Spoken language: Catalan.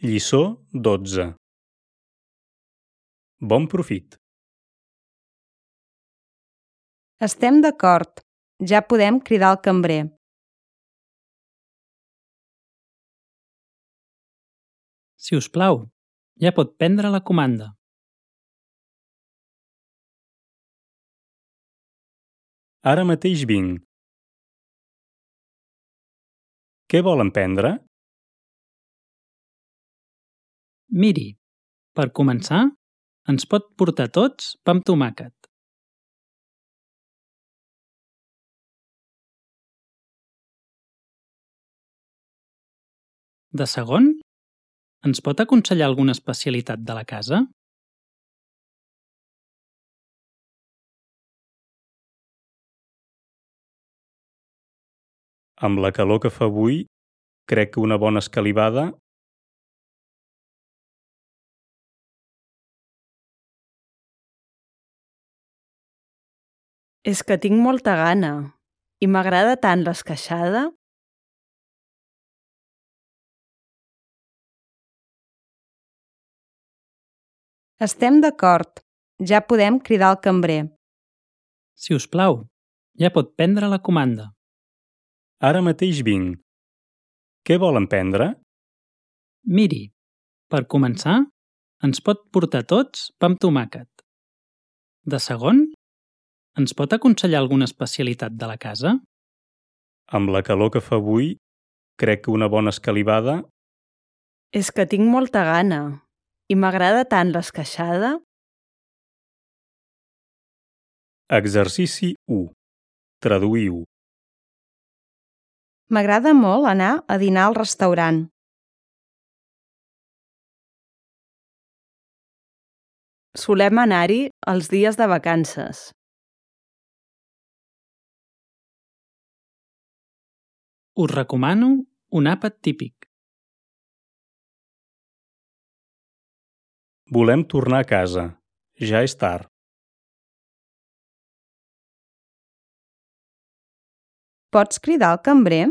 Lliçó 12. Bon profit. Estem d'acord. Ja podem cridar el cambrer. Si us plau, ja pot prendre la comanda. Ara mateix vinc. Què volen prendre? Miri, per començar, ens pot portar tots pa amb tomàquet. De segon, ens pot aconsellar alguna especialitat de la casa? Amb la calor que fa avui, crec que una bona escalivada... És que tinc molta gana i m'agrada tant l'esqueixada. Estem d'acord. Ja podem cridar el cambrer. Si us plau, ja pot prendre la comanda. Ara mateix vinc. Què volen prendre? Miri, per començar, ens pot portar tots pa amb tomàquet. De segon, ens pot aconsellar alguna especialitat de la casa? Amb la calor que fa avui, crec que una bona escalivada... És que tinc molta gana i m'agrada tant l'esqueixada. Exercici 1. Traduïu. M'agrada molt anar a dinar al restaurant. Solem anar-hi els dies de vacances. Us recomano un àpat típic. Volem tornar a casa. Ja és tard. Pots cridar el cambrer?